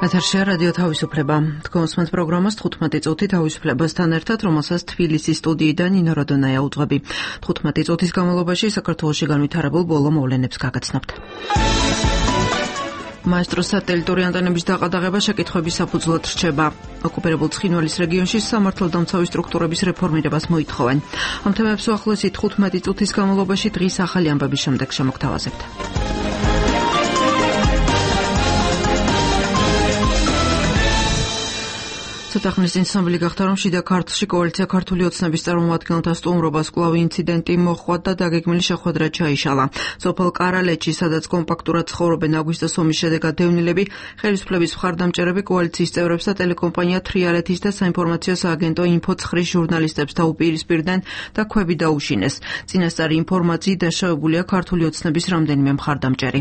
ეთერში რადიო თავისუფლება. თქვენს პროგრამას 15 წუთი თავისუფლებასთან ერთად, რომელსაც თბილისის სტუდიიდან ნინო როდონაია უძღვები. 15 წუთის განმავლობაში საქართველოში განვითარებულ ბოლო მოვლენებს გაგაცნობთ. მაესტროს სატელიტური ანტენების დაყადაღება შეკითხვების საფუძვლად რჩება. ოკუპირებულ ცხინვალის რეგიონში სამართალდამცავი სტრუქტურების რეფორმირებას მოითხოვენ. ამ თემებს უახლოესი 15 წუთის განმავლობაში დღის ახალი ამბების შემდეგ შემოგთავაზებთ. ცოტახნის წინ ცნობილი გახდა, რომ შიდა ქართლში კოალიცია ქართული ოცნების წარმომადგენელთა სტუმრობას კვლავ ინციდენტი მოჰყვა და დაგეგმილი შეხვედრა ჩაიშალა. სოფელ კარალეთში, სადაც კომპაქტურად ცხოვრობენ აგვისტოს ომის შედეგად დევნილები, ხელისუფლების მხარდამჭერები კოალიციის წევრებს და ტელეკომპანია თრიალეთის და საინფორმაციო სააგენტო ინფოცხრის ჟურნალისტებს დაუპირისპირდნენ და ქვები დაუშინეს. წინასწარი ინფორმაციით დაშავებულია ქართული ოცნების რამდენიმე მხარდამჭერი.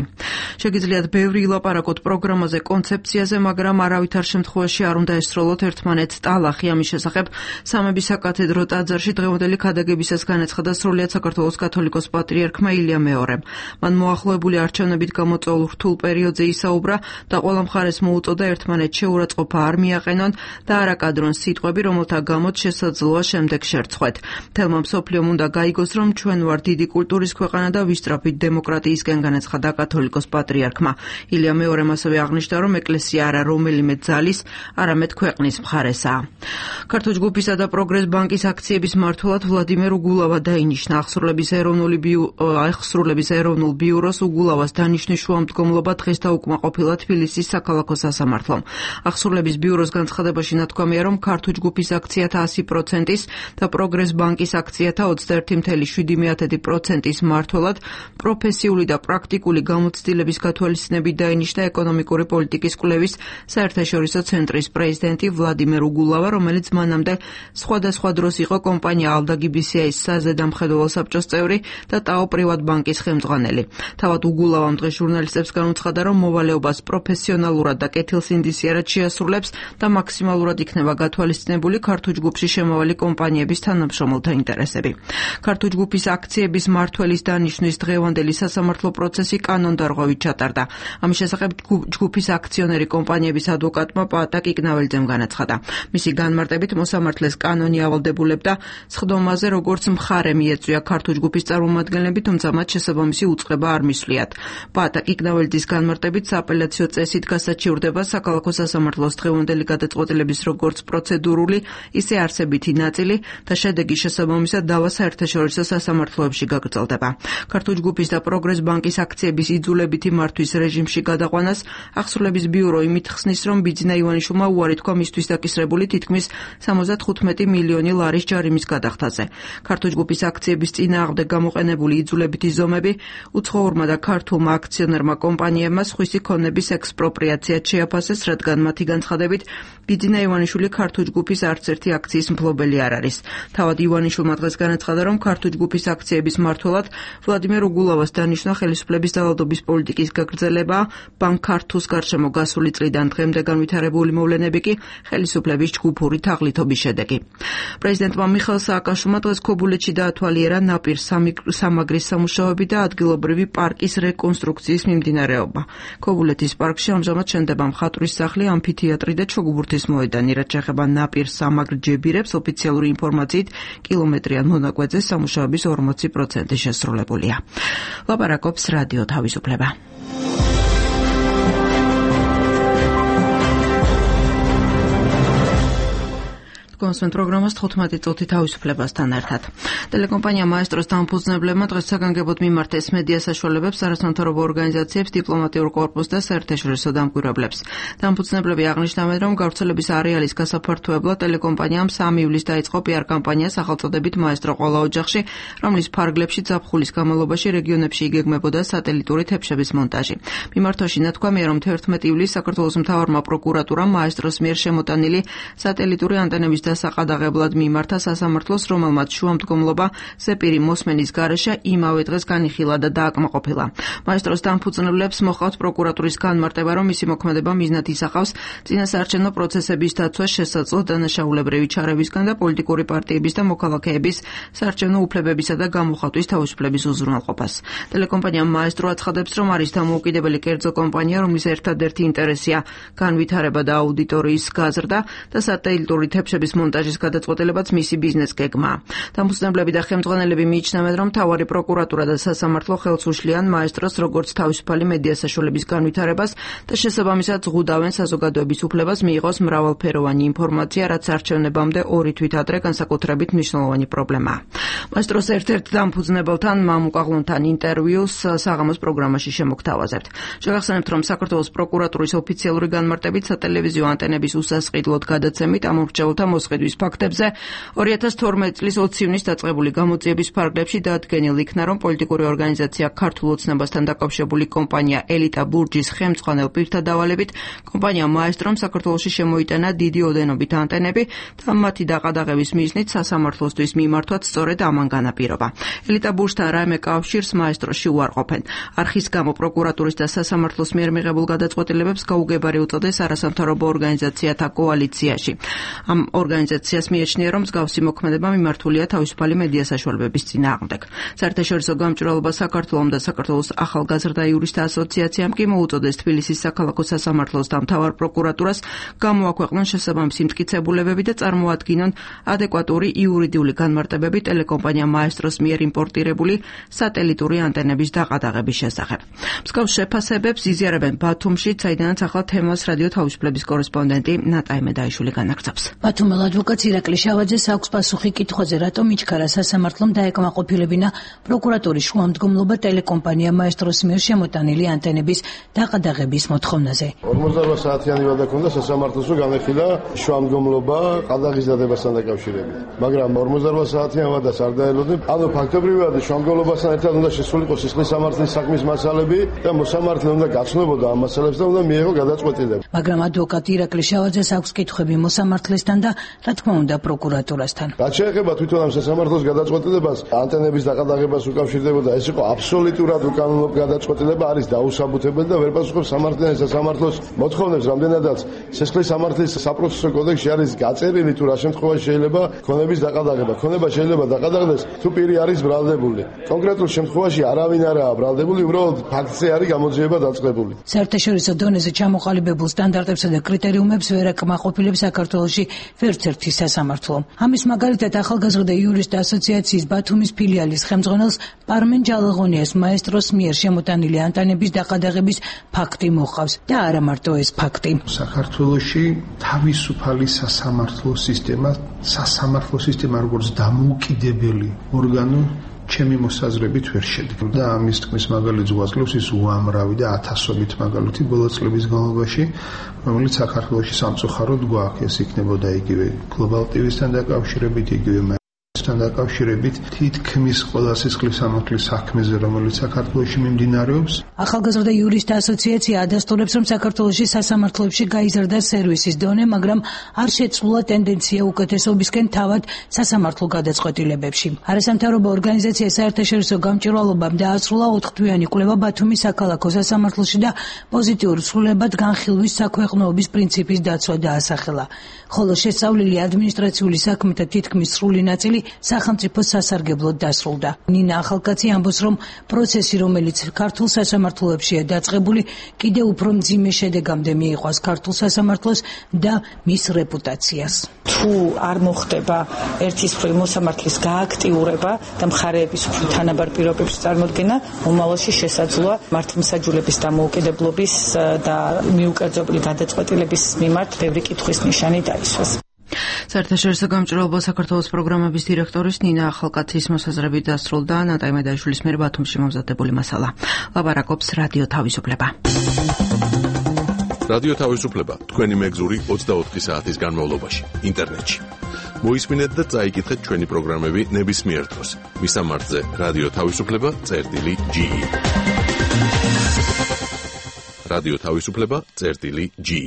შეგიძლიათ ბევრი ილაპარაკოთ პროგრამაზე, კონცეფციაზე, მაგრამ არავითარ შემთხვევაში არ უნდა ესროლოთ ერთმანეთს ტალახი. ამის შესახებ სამების საკათედრო ტაძარში დღევანდელი ქადაგებისას განაცხადა სრულიად საქართველოს კათოლიკოს პატრიარქმა ილია მეორემ. მან მოახლოებული არჩევნებით გამოწვეულ რთულ პერიოდზე ისაუბრა და ყველა მხარეს მოუწოდა ერთმანეთს შეურაცხყოფა არ მიაყენონ და არ აკადრონ სიტყვები, რომელთა გამოც შესაძლოა შემდეგ შერცხვეთ. მთელმა მსოფლიომ უნდა გაიგოს, რომ ჩვენ ვართ დიდი კულტურის ქვეყანა და ვისწრაფით დემოკრატიისკენ, განაცხადა კათოლიკოს პატრიარქმა. ილია მეორემ ასევე აღნიშნა, რომ ეკლესია არა რომელიმე ძალის, არამედ ქვეყნის მხარესაა. ქართულ ჯგუფისა და პროგრეს ბანკის აქციების მმართველად ვლადიმერ უგულავა დაინიშნა. აღსრულების ეროვნულ ბიუროს უგულავას დანიშნვის შუამდგომლობა დღეს დაუკმაყოფილა თბილისის საქალაქო სასამართლომ. აღსრულების ბიუროს განცხადებაში ნათქვამია, რომ ქართულ ჯგუფის აქციათა 100%-ის და პროგრეს ბანკის აქციათა 21.7%-ის მმართველად პროფესიული და პრაქტიკული გამოცდილების გათვალისწინებით დაინიშნა ეკონომიკური პოლიტიკის კვლევის საერთაშორისო ცენტრის პრეზიდენტი ვლადიმერ უგულავა, რომელიც მანამდე სხვადასხვა დროს იყო კომპანია ალდა-GBCI-ის საზედამხედველო საბჭოს წევრი და ტაო პრივატბანკის ხელმძღვანელი. თავად უგულავამ დღეს ჟურნალისტებს განუცხადა, რომ მოვალეობას პროფესიონალურად და კეთილსინდისიერად შეასრულებს და მაქსიმალურად იქნება გათვალისწინებული ქართულ ჯგუფში შემავალი კომპანიების თანამშრომელთა ინტერესები. ქართულ ჯგუფის აქციების მმართველის დანიშვნის დღევანდელი სასამართლო პროცესი კანონდარღვევით ჩატარდა. ამის შესახებ ჯგუფის აქციონერი კომპანიების ადვოკატმა პაატა კიკნაველიძემ განაცხადა. მისი განმარტებით მოსამართლეს კანონი ავალდებულებდა სხდომაზე, როგორც მხარე მიეწვია ქართულ ჯგუფის წარმომადგენლები, თუმცა მათ შესაბამისი უწყება არ მისვლიათ. პაატა კიკნაველიძის განმარტებით სააპელაციო წესით გასაჩივრდება საქალაქო სასამართლოს დღევანდელი გადაწყვეტილების როგორც პროცედურული, ისე არსებითი ნაწილი და შედეგი შესაბამისად დავა საერთაშორისო სასამართლოებში გაგრძელდება. ქართულ ჯგუფის და პროგრეს ბანკის აქციების იძულებითი მართვის რეჟიმში გადაყვანას აღსრულების ბიურო იმით ხსნის, რომ ბიძინა ივანიშვილმა უარი თქვა მისთვის დაკისრებული თითქმის 75 მილიონი ლარის ჯარიმის გადახდაზე. ქართულ ჯგუფის აქციების წინააღმდეგ გამოყენებული იძულებითი ზომები უცხოურმა და ქართულმა აქციონერმა კომპანიებმა სხვისი ქონების ექსპროპრიაციად შეაფასეს, რადგან მათი განცხადებით ბიძინა ივანიშვილი ქართულ ჯგუფის არც ერთი აქციის მფლობელი არ არის. თავად ივანიშვილმა დღეს განაცხადა, რომ ქართულ ჯგუფის აქციების მმართველად ვლადიმერ უგულავას დანიშნა ხელისუფლების დავალდობის პოლიტიკის გაგრძელება, ბანკ ქართულს გარშემო გასული წლიდან დღემდე განვითარებული მოვლენები კი ხელისუფლების ჯგუფური თაღლითობის შედეგი. პრეზიდენტმა მიხეილ სააკაშვილმა დღეს ქობულეთში დაათვალიერა ნაპირ სამაგრის სამუშაოები და ადგილობრივი პარკის რეკონსტრუქციის მიმდინარეობა. ქობულეთის პარკში ამჟამად შენდება მხატვრის სახლი, ამფითეატრი და ჩოგბურთის მოედანი. რაც შეეხება ნაპირ სამაგრ ჯებირებს, ოფიციალური ინფორმაციით კილომეტრიან მონაკვეთზე სამუშაოების 40% შესრულებულია. ლაპარაკობს რადიო თავისუფლება. კონსვენ პროგრამას 15 წუთი თავისუფლებასთან ერთად. ტელეკომპანია მაესტროს დამფუძნებლებმა დღეს საგანგებოდ მიმართეს მედია საშუალებებს, არასამთავრობო ორგანიზაციებს, დიპლომატიურ კორპუსს და საერთაშორისო დამკვირვებლებს. დამფუძნებლები აღნიშნავენ, რომ გავრცელების არეალის გასაფართოებლად ტელეკომპანიამ 3 ივლისს დაიწყო PR კამპანია სახელწოდებით მაესტრო ყველა ოჯახში, რომლის ფარგლებში ზაფხულის განმავლობაში რეგიონებში იგეგმებოდა სატელიტური თებშების მონტაჟი. მიმართვაში ნათქვამია, რომ 11 ივლისს საქართველოს მთავარმა პროკურატურამ მაესტროს მიერ შემოტანილი სატელიტური ანტენების დასაყადაღებლად მიმართა სასამართლოს, რომელმაც შუამდგომლობა ზეპირი მოსმენის გარეშე იმავე დღეს განიხილა და დააკმაყოფილა. მაესტროს დამფუძნებლებს მოჰყავთ პროკურატურის განმარტება, რომ მისი მოქმედება მიზნად ისახავს წინასაარჩევნო პროცესების დაცვას შესაძლო დანაშაულებრივი ჩარევისგან და პოლიტიკური პარტიების და მოქალაქეების საარჩევნო უფლებებისა და გამოხატვის თავისუფლების უზრუნველყოფას. ტელეკომპანია მაესტრო აცხადებს, რომ არის დამოუკიდებელი კერძო კომპანია, რომლის ერთადერთი ინტერესია განვითარება და აუდიტორიის გაზრდა და სატელიტური თებშების მონტაჟის გადაწყვეტილებაც მისი ბიზნეს გეგმაა. დამფუძნებლები და ხელმძღვანელები მიიჩნევენ, რომ მთავარი პროკურატურა და სასამართლო ხელს უშლიან მაესტროს როგორც თავისუფალი მედია საშუალების განვითარებას და შესაბამისად ზღუდავენ საზოგადოების უფლებას მიიღოს მრავალფეროვანი ინფორმაცია, რაც არჩევნებამდე 2 თვით ადრე განსაკუთრებით მნიშვნელოვანი პრობლემაა. მაესტროს ერთ-ერთ დამფუძნებელთან მამუკაღლონთან ინტერვიუს საღამოს პროგრამაში შემოგთავაზებთ. შევახსენებთ, რომ საქართველოს პროკურატურის ოფიციალური განმარტებით სატელევიზიო ანტენების უსასყიდლოდ გადაცემით ამ მრჩეველთა მოსყიდვის ფაქტებზე 2012 წლის 20 ივნისს დაწყებული გამოძიების ფარგლებში დაადგენილ იქნა, რომ პოლიტიკური ორგანიზაცია ქართულ ოცნებასთან დაკავშირებული კომპანია ელიტა ბურჯის ხელმძღვანელ პირთა დავალებით კომპანია მაესტრომ საქართველოში შემოიტანა დიდი ოდენობით ანტენები და მათი დაყადაღების მიზნით სასამართლოსთვის მიმართვაც სწორედ ამან განაპირობა. ელიტა ბურჯთან რაიმე კავშირს მაესტროში უარყოფენ. არხის გამო პროკურატურის და სასამართლოს მიერ მიღებულ გადაწყვეტილებებს გაუგებარი უწოდეს არასამთავრობო ორგანიზაციათა კოალიციაში. ამ ორგანიზაციას მიიჩნია, რომ მსგავსი მოქმედება მიმართულია თავისუფალი მედია საშუალებების წინააღმდეგ. საერთაშორისო გამჭვირვალობა საქართველომ და საქართველოს ახალგაზრდა იურისტთა ასოციაციამ კი მოუწოდეს თბილისის საქალაქო სასამართლოს და მთავარ პროკურატურას გამოაქვეყნონ შესაბამისი მტკიცებულებები და წარმოადგინონ ადეკვატური იურიდიული განმარტებები ტელეკომპანია მაესტროს მიერ იმპორტირებული სატელიტური ანტენების დაყადაღების შესახებ. მსგავს შეფასებებს იზიარებენ ბათუმში, საიდანაც ახლა თემას რადიო თავისუფლების კორესპონდენტი ნატაი მედაიშვილი განაგრძობს. ბათუმელ ადვოკატ ირაკლი შავაძეს აქვს პასუხი კითხვაზე, რატომ იჩქარა სასამართლომ დაეკმაყოფილებინა პროკურატურის შუამდგომლობა ტელეკომპანია მაესტროს მიერ შემოტანილი ანტენების დაყადაღების მოთხოვნაზე. 48 საათიანი ვადა ქონდა სასამართლოს, რომ განეხილა შუამდგომლობა ყადაღის დადებასთან დაკავშირებით. მაგრამ 48 საათიან ვადას არ დაელოდნენ. ანუ ფაქტობრივად შუამდგომლობასთან ერთად უნდა შესულიყო სისხლის სამართლის საქმის მასალები და მოსამართლე უნდა გაცნობოდა ამ მასალებს და უნდა მიეღო გადაწყვეტილება. მაგრამ ადვოკატ ირაკლი შავაძეს აქვს კითხვები მოსამართლესთან და რა თქმა უნდა პროკურატურასთან. რაც შეეხება თვითონ ამ სასამართლოს გადაწყვეტილებას, ანტენების დაყადაღებას უკავშირდებოდა, ეს იყო აბსოლუტურად უკანონო გადაწყვეტილება, არის დაუსაბუთებელი და ვერ პასუხობს სასამართლოს მოთხოვნებს, რამდენადაც სისხლის სამართლის საპროცესო კოდექსში არის გაწერილი თუ რა შემთხვევაში შეიძლება ქონების დაყადაღება. ქონება შეიძლება დაყადაღდეს თუ პირი არის ბრალდებული. კონკრეტულ შემთხვევაში არავინ არაა ბრალდებული, უბრალოდ ფაქტზე არის გამოძიება დაწყებული. საერთაშორისო დონეზე ჩამოყალიბებულ სტანდარტებსა და კრიტერიუმებს ვერ აკმაყოფილებს საქართველოში ვერცერთი სასამართლო. ამის მაგალითად ახალგაზრდა იურისტთა ასოციაციის ბათუმის ფილიალის ხელმძღვანელს პარმენ ჯალაღონიას მაესტროს მიერ შემოტანილი ანტენების დაყადაღების ფაქტი მოჰყავს და არა მარტო ეს ფაქტი. საქართველოში თავისუფალი სასამართლო სისტემა როგორც დამოუკიდებელი ორგანო ჩემი მოსაზრებით ვერ შედგა და ამის თქმის მაგალითს გვაძლევს ის უამრავი და ათასობით მაგალითი ბოლო წლების განმავლობაში, რომელიც საქართველოში სამწუხაროდ გვაქვს. ეს იქნებოდა იგივე გლობალ ტივისთან დაკავშირებით, იგივე თან დაკავშირებით თითქმის ყველა სისხლის სამართლის საქმეზე, რომელიც საქართველოში მიმდინარეობს. ახალგაზრდა იურისტთა ასოციაცია ადასტურებს, რომ საქართველოში სასამართლოებში გაიზარდა სერვისის დონე, მაგრამ არ შეცვლა ტენდენცია უკეთესობისკენ თავად სასამართლო გადაწყვეტილებებში. არასამთავრობო ორგანიზაცია საერთაშორისო გამჭვირვალობამ დაასრულა 4-თვიანი კვლევა ბათუმის საქალაქო სასამართლოში და პოზიტიურ ცვლილებად განხილვის საქვეყნოობის პრინციპის დაცვა დაასახელა. ხოლო შესწავლილი ადმინისტრაციული საქმეთა თითქმის სრული ნაწილი სახელმწიფო სასარგებლოდ დასრულდა. ნინა ახალკაცი ამბობს, რომ პროცესი, რომელიც ქართულ სასამართლოებშია დაწყებული, კიდევ უფრო მძიმე შედეგამდე მიიყვას ქართულ სასამართლოს და მის რეპუტაციას. თუ არ მოხდება ერთის მხრივ მოსამართლის გააქტიურება და მხარეების უფრო თანაბარ პირობებში წარმოდგენა, მომავალში შესაძლოა მართლმსაჯულების დამოუკიდებლობის და მიუკერძობილი გადაწყვეტილების მიმართ ბევრი კითხვის ნიშანი დაისვას. საერთაშორისო გამჭვირვალობა საქართველოს პროგრამების დირექტორის ნინა ახალკაცის მოსაზრებით დასრულდა ნატაი მედაიშვილის მიერ ბათუმში მომზადებული მასალა. ლაპარაკობს რადიო თავისუფლება. რადიო თავისუფლება თქვენი მეგზური 24 საათის განმავლობაში ინტერნეტში. მოისმინეთ და წაიკითხეთ ჩვენი პროგრამები ნებისმიერ დროს. მისამართზე რადიო თავისუფლება.ge. რადიო თავისუფლება.ge.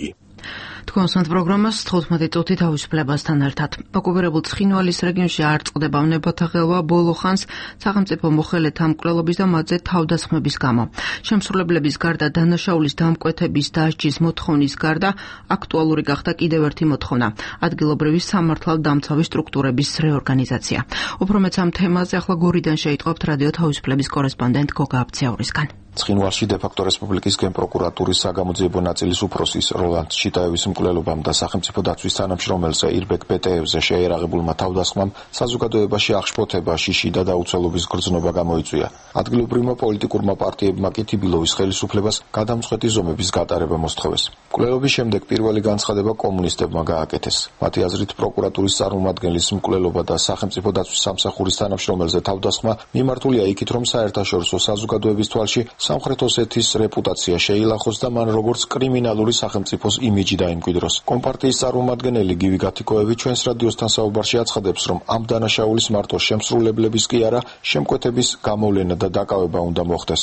თქვენს პროგრამას 15 წუთი თავისუფლებასთან ერთად. ოკუპირებულ ცხინვალის რეგიონში არ წყდება ნებათა ღელვა ბოლო ხანს სახელმწიფო მოხელეთა მკვლელობის და მათზე თავდასხმების გამო. შემსრულებლების გარდა დანაშაულის დამკვეთების დასჯის მოთხოვნის გარდა აქტუალური გახდა კიდევ ერთი მოთხოვნა ადგილობრივი სამართალდამცავი სტრუქტურების რეორგანიზაცია. უფრო მეც ამ თემაზე ახლა გორიდან შეიტყობთ რადიო თავისუფლების კორესპონდენტ გოგა აბციაურისგან. ცხინვალში დე-ფაქტო რესპუბლიკის გენპროკურატურის საგამოძიებო ნაწილის უფროსის როლანდ ჩიტაევის მკვლელობამ და სახელმწიფო დაცვის თანამშრომელზე ირბეკ პეტეევზე შეერაღებულმა თავდასხმამ საზოგადოებაში აღშფოთება, შიში და დაუცველობის გრძნობა გამოიწვია. ადგილობრივმა პოლიტიკურმა პარტიებმა კი თიბილოვის ხელისუფლებას გადამწყვეტი ზომების გატარება მოსთხოვეს. მკვლელობის შემდეგ პირველი განცხადება კომუნისტებმა გააკეთეს. მათი აზრით პროკურატურის წარმომადგენლის მკვლელობა და სახელმწიფო დაცვის სამსახურის თანამშრომელზე თავდასხმა მიმართულია იქით, რომ საერთაშორისო საზოგადოების თვალში სამხრეთ ოსეთის რეპუტაცია შეილახოს და მან როგორც კრიმინალური სახელმწიფოს იმიჯი დაიმკვიდროს. კომპარტიის წარმომადგენელი გივი გათიკოევი ჩვენს რადიოსთან საუბარში აცხადებს, რომ ამ დანაშაულის მარტო შემსრულებლების კი არა, შემკვეთების გამოვლენა და დაკავება უნდა მოხდეს.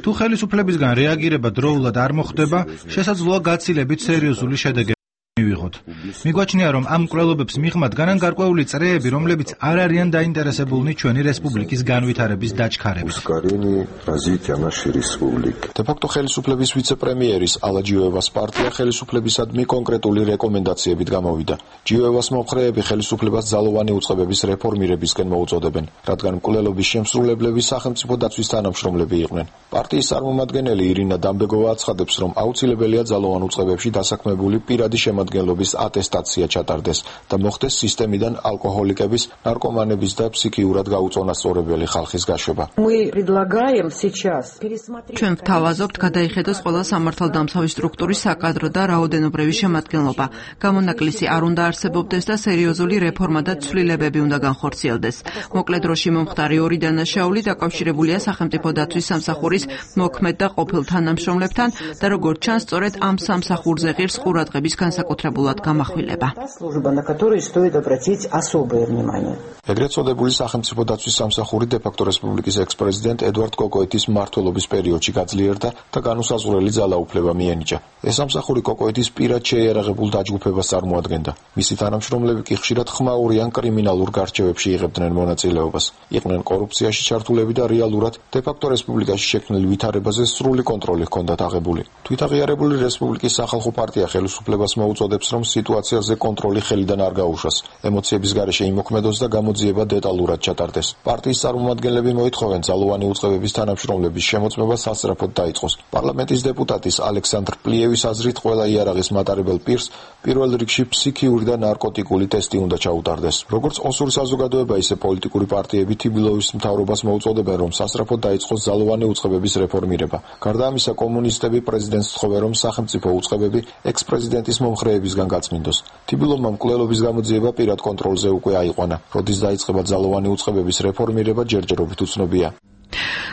თუ ხელისუფლებისგან რეაგირება დროულად არ მოხდება, შესაძლოა გაცილებით სერიოზული შედეგები მივიღოთ. მიგვაჩნია, რომ ამ მკვლელობებს მიღმა დგანან გარკვეული წრეები, რომლებიც არ არიან დაინტერესებულნი ჩვენი რესპუბლიკის განვითარების დაჩქარებით. დე-ფაქტო ხელისუფლების ვიცე-პრემიერის ალა ჯიოევას პარტია ხელისუფლებისადმი კონკრეტული რეკომენდაციებით გამოვიდა. ჯიოევას მომხრეები ხელისუფლებას ძალოვანი უწყებების რეფორმირებისკენ მოუწოდებენ, რადგან მკვლელობის შემსრულებლები სახელმწიფო დაცვის თანამშრომლები იყვნენ. პარტიის წარმომადგენელი ირინა დამბეგოვა აცხადებს, რომ აუცილებელია ძალოვან უწყებებში დასაქმებული პირადი შემადგენლობის ატესტაცია ჩატარდეს და მოხდეს სისტემიდან ალკოჰოლიკების, ნარკომანების და ფსიქიურად გაუწონასწორებელი ხალხის გაშვება. ჩვენ ვთავაზობთ გადაიხედოს ყველა სამართალდამცავი სტრუქტურის საკადრო და რაოდენობრივი შემადგენლობა. გამონაკლისი არ უნდა არსებობდეს და სერიოზული რეფორმა და ცვლილებები უნდა განხორციელდეს. მოკლედ დროში მომხდარი ორი დანაშაული დაკავშირებულია სახელმწიფო დაცვის სამსახურის მოქმედ და ყოფილ თანამშრომლებთან და როგორც ჩანს, სწორედ ამ სამსახურზე ღირს ყურადღების განსაკუთრებულად გამახვილება. ეგრეთ წოდებული სახელმწიფო დაცვის სამსახური დე-ფაქტო რესპუბლიკის ექს-პრეზიდენტ ედვარდ კოკოეტის მმართველობის პერიოდში გაძლიერდა და განუსაზღვრელი ძალაუფლება მიენიჭა. ეს სამსახური კოკოეტის პირად შეიარაღებულ დაჯგუფებას წარმოადგენდა. მისი თანამშრომლები კი ხშირად ხმაური ან კრიმინალურ გარჩევებში იღებდნენ მონაწილეობას. იყვნენ კორუფციაში ჩართულები და რეალურად დე-ფაქტო რესპუბლიკაში შექმნილ ვითარებაზე სრული კონტროლი ჰქონდათ აღებული. თვითაღიარებული რესპუბლიკის სახალხო პარტია ხელისუფლებას მოუწოდებს, რომ სიტუაციაზე კონტროლი ხელიდან არ გაუშვას. ემოციების გარეშე იმოქმედოს და გამოძიება დეტალურად ჩატარდეს. პარტიის წარმომადგენლები მოითხოვენ ძალოვანი უწყებების თანამშრომლების შემოწმება სასწრაფოდ დაიწყოს. პარლამენტის დეპუტატის ალექსანდრ პლიევის აზრით, ყველა იარაღის მატარებელ პირს პირველ რიგში ფსიქიური და ნარკოტიკული ტესტი უნდა ჩაუტარდეს. როგორც ოსური საზოგადოება, ისე პოლიტიკური პარტიები თიბილოვის მთავრობას მოუწოდებენ, რომ სასწრაფოდ დაიწყოს ძალოვანი უწყებების რეფორმირება. გარდა ამისა, კომუნისტები პრეზიდენტს თხოვენ, რომ სახელმწიფო უწყებები ექს-პრეზიდენტის მომხრეებისგან გაწმინდოს. თიბილოვმა მკვლელობის გამოძიება პირად კონტროლზე უკვე აიყვანა. როდის დაიწყება ძალოვანი უწყებების რეფორმირება, ჯერჯერობით უცნობია.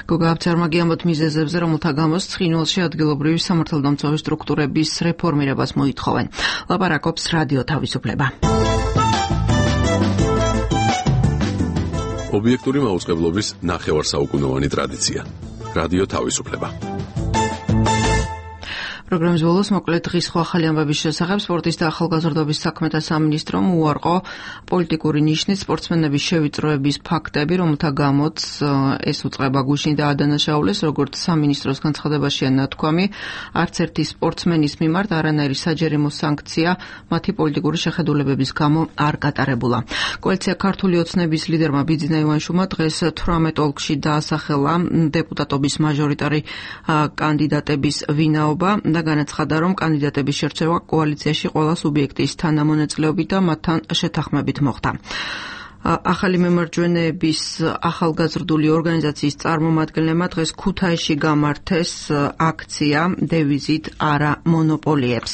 გოგა აბციაურმა გიამბოთ მიზეზებზე, რომელთა გამოც ცხინვალში ადგილობრივი სამართალდამცავი სტრუქტურების რეფორმირებას მოითხოვენ. ლაპარაკობს რადიო თავისუფლება. ობიექტური მაუწყებლობის ნახევარსაუკუნოვანი ტრადიცია. რადიო თავისუფლება. პროგრამის ბოლოს მოკლედ დღის ხო ახალი ამბების შესახებ სპორტის და ახალგაზრდობის საქმეთა სამინისტრომ უარყო პოლიტიკური ნიშნით სპორტსმენების შევიწროების ფაქტები, რომელთა გამოც ეს უწყება გუშინ დაადანაშაულეს, როგორც სამინისტროს განცხადებაშია ნათქვამი, არც ერთი სპორტსმენის მიმართ არანაირი საჯარიმო სანქცია მათი პოლიტიკური შეხედულებების გამო არ გატარებულა. კოალიცია ქართული ოცნების ლიდერმა ბიძინა ივანშუმა დღეს 18 ოლქში დაასახელა დეპუტატობის მაჟორიტარი კანდიდატების ვინაობა და განაცხადა, რომ კანდიდატების შერჩევა კოალიციაში ყველა სუბიექტის თანამონაწილეობით და მათთან შეთანხმებით მოხდა. ახალი მემარჯვენეების ახალგაზრდული ორგანიზაციის წარმომადგენლებმა დღეს ქუთაისში გამართეს აქცია დევიზით არა მონოპოლიებს.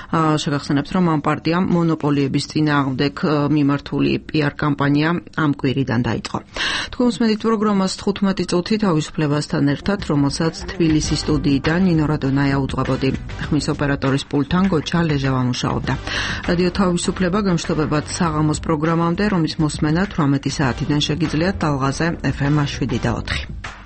შეგახსენებთ, რომ ამ პარტიამ მონოპოლიების წინააღმდეგ მიმართული PR კამპანია ამ კვირიდან დაიწყო. თქვენ უსმენთ პროგრამას 15 წუთი თავისუფლებასთან ერთად, რომელსაც თბილისის სტუდიიდან ნინო რადონაია უძღვებოდი. ხმის ოპერატორის პულტთან გოჩა ლეჟავა მუშაობდა. რადიო თავისუფლება გამშვიდობებად საღამოს პროგრამამდე, რომლის მოსმენა 18 საათიდან შეგიძლიათ ტალღაზე FM 7 და 4.